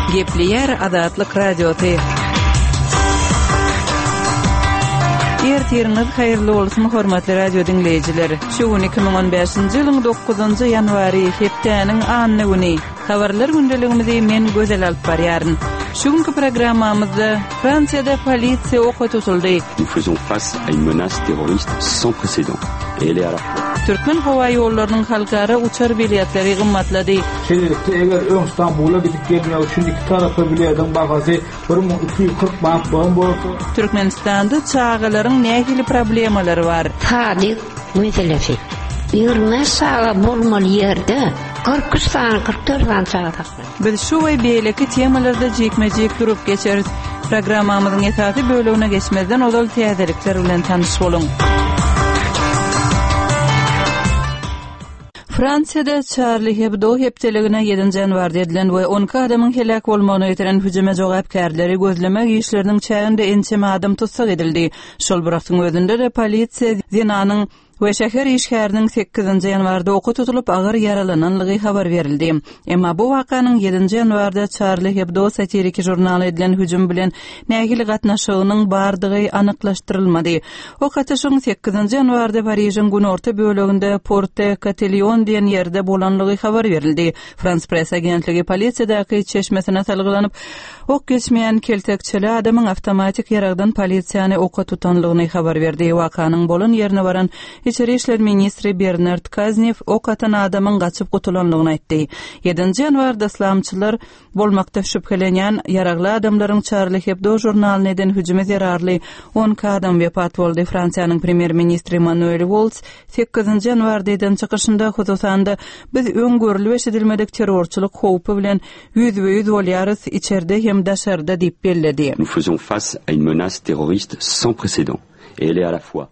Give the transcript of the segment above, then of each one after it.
Gepleýär Azatlyk Radiosy. Ertiriňiz haýyrly bolsun, hormatly radio diňleýjiler. Şu gün 2015-nji ýylyň 9-njy ýanwary, hepdäniň anna güni. Habarlar gündeligimizi men Gözel alyp barýaryn. Şu günki programmamyzda Fransiýada polisiýa oka tutuldy. Nous faisons face à une menace terroriste sans précédent et elle est à la fois. Türkmen howa ýollarynyň halkara uçar biletleri gymmatlady. Şeýlelikde, eger öň Stambula gidip gelmek üçin iki tarapa bilediň bahasy 1240 manat bolan bolsa, Türkmenistanda çagalaryň nähili problemalary bar? Sadyk meselesi. 25 çaga bolmaly ýerde 43 sany, 44 sany çaga saklanýar. Biz şu we beýleki temalarda jikme-jik durup geçeris. Programmamyzyň esasy bölegine geçmezden ozal täzelikler bilen tanyş boluň. Fransiýada Çarli Hebdo hepdeligine ýedinji ýanwarda edilen we 12 adamyň heläk bolmagyna getiren hüjüme jogapkärleri gözlemek işleriniň çäginde ençeme adam tussag edildi. Şol bir wagtyň özünde-de polisiýa zenanyň we şäher işgäriniň sekizinji ýanwarda oka tutulyp, agyr ýaralananlygy habar berildi. Emma bu wakanyň ýedinji ýanwarda Çarli Hebdo satiriki žurnaly edilen hüjüm bilen nähili gatnaşygynyň bardygy anyklaşdyrylmady. Ok atyşygyň sekizinji ýanwarda Parižiň günorta böleginde Porte Katelýon diýen ýerde bolanlygy habar berildi. Frans Press agentligi polisiýadaky çeşmesine salgylanyp, ok geçmeýän keltekçeli adamyň awtomatik ýaragdan polisiýany oka tutanlygyny habar berdi. Wakanyň bolan ýerine baran içeri işler ministri Bernard Kaznew ok atan adamyň gaçyp gutulanlygyny aýtdy. Ýedinji ýanwarda yslamçylar bolmakda şübhelenýän ýaragly adamlaryň Çarli Hebdo žurnalyna eden hüjümi zerarly 12 adam wepat boldy. Fransiýanyň premýer-ministri Manuel Walls Sekizinji ýanwarda eden çykyşynda, hususan-da, biz öň görlüp-eşidilmedik terrorçylyk howpy bilen ýüzbe-ýüz bolýarys, içerde hem daşarda diýip belledi. Nous faisons face à une menace terroriste sans précédent et elle est à la fois.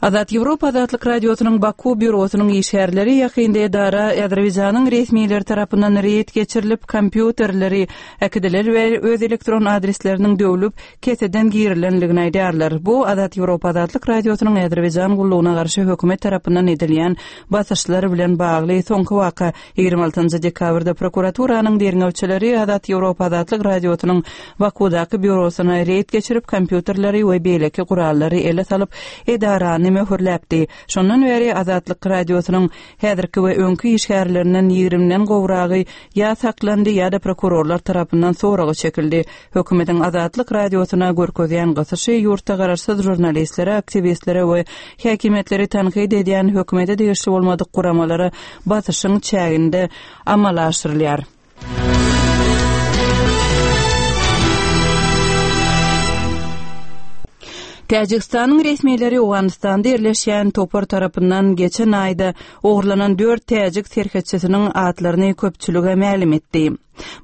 Azat Ýewropa Azatlyk Radiosynyň Baku býurosynyň işgärleri ýakynda edara Azerbaýjanyň resmileri tarapyndan reýd geçirilip, kompýuterleri äkidiler we öz elektron adresleriniň döwlüp, keseden girilenligini aýdýarlar. Bu Azat Ýewropa Azatlyk Radiosynyň Azerbaýjan gullugyna garşy hökümet tarapyndan edilýän basyşlar bilen bagly soňky waka. 26 dekabrda prokuraturanyň derňewçileri Azat Ýewropa Azatlyk Radiosynyň Bakudaky býurosyna reýd geçirip, kompýuterleri we beýleki gurallary ele salyp, edarany möhürläpdi. Şondan bäri Azatlyk Radiosynyň häzirki we öňki işgärlerinden ýigrimden gowragy ýa saklandy ýa-da prokurorlar tarapyndan soraga çekildi. Hökümetiň Azatlyk Radiosyna görkezýän gysyşy ýurtda garaşsyz žurnalistlere, aktiwistlere we häkimiýetleri tankyt edýän hökümete degişli bolmadyk guramalara basyşyň çäginde amala aşyrylýar. Täjigistanyň resmileri Owganystanda ýerleşýän topar tarapyndan geçen aýda ogurlanan dört täjik serhetçisiniň atlaryny köpçülige mälim etdi.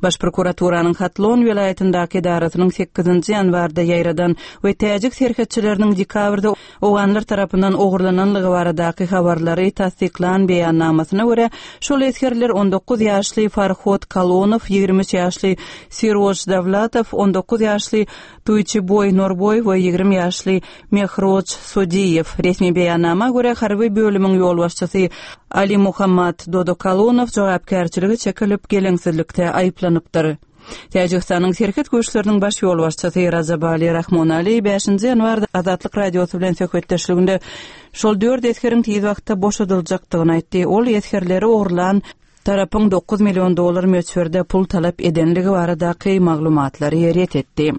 Baş prokuraturanyň Hatlon welaýatyndaky edarasynyň sekizinji ýanwarda ýaýradan we täjik serhetçileriniň dekabrda owganlar tarapyndan ogurlananlygy baradaky habarlary tassyklan beýannamasyna görä, şol esgerler 19 ýaşly Farhod Kalonow, 23 ýaşly Siroj Dawlatow, 19 ýaşly Tuýçiboý Norboýew we 20 ýaşly Mehroj Sodiýew. Resmi beýannama görä, harby bölümiň ýolbaşçysy Alimuhammad Dodokalonow jogapkärçilige çekilip, geleňsizlikde aýyplanypdyr. Täjigistanyň serhet güýçleriniň baş ýolbaşçysy Rajabali Rahmonali bäşinji ýanwarda Azatlyk Radiosy bilen söhbetdeşliginde şol dört esgeriň tiz wagtda boşadyljakdygyny aýtdy. Ol esgerleri ogurlan tarapyň 9 million dollar möçberde pul talap edenligi baradaky maglumatlary ret etdi.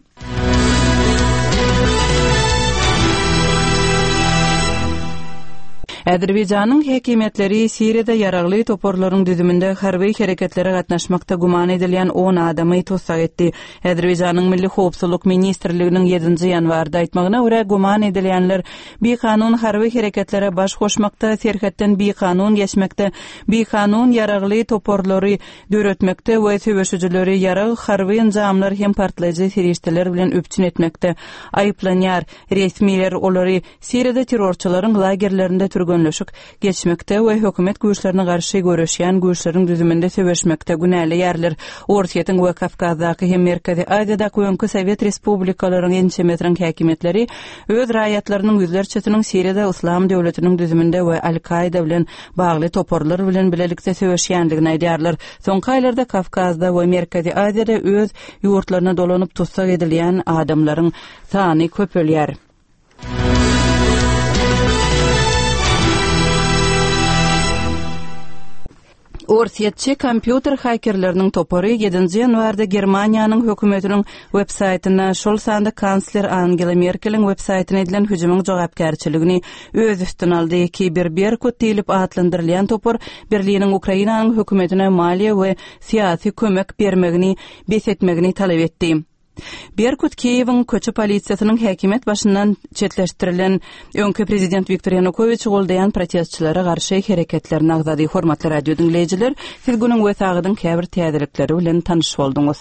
Azerbaýjanyň häkimiýetleri Siriýada ýaragly toparlaryň düzüminde harby hereketlere gatnaşmakda güman edilýän on adamy tussag etdi. Azerbaýjanyň Milli howpsuzlyk ministrliginiň ýedinji ýanwarda aýtmagyna görä, güman edilýänler bikanun harby hereketlere baş goşmakda, serhetden bikanun geçmekde, bikanun ýaragly toparlary döretmekde we söweşijileri ýarag, harby enjamlar hem partlaýjy serişdeler bilen üpjün etmekde aýyplanýar. Resmiler olary Siriýada terrorçylaryň lagerlerinde türgenleşdirmek. türgenleşik geçmekde we hökümet güýçlerine garşy göreşýän güýçleriň düzüminde söweşmekde günäleýärler. Orsýetiň we Kawkazdaky hem Merkezi Aziýadaky öňki sowet respublikalaryň ençemesiniň häkimiýetleri öz raýatlarynyň ýüzlerçesiniň Siriýada Yslam döwletiniň düzüminde we Al-Kaýda bilen bagly toparlar bilen bilelikde söweşýändigini aýdýarlar. Soňky aýlarda Kawkazda we Merkezi Aziýada öz ýurtlaryna dolanyp tussag edilýän adamlaryň sany köpelýär. Orsýetçi kompýuter hakerleriniň topary ýedinji ýanwarda Germaniýanyň hökümetiniň websaýtyna, şol sanda kansler Angela Merkeliň websaýtyna edilen hüjümiň jogapkärçiligini öz üstüne aldy. Kiberberkut diýlip atlandyrylýan topar Berliniň Ukrainanyň hökümetine maliýe we syýasy kömek bermegini bes etmegini talap etdi. Berkut Kiýewiň köçe polisiýasynyň häkimiýet başyndan çetleşdirilen öňki prezident Wiktor Ýanukowiçi goldaýan protestçilere garşy hereketlerini agzady. Hormatly radio diňleýjiler, siz günüň we sagadyň käbir täzelikleri bilen tanyş bolduňyz.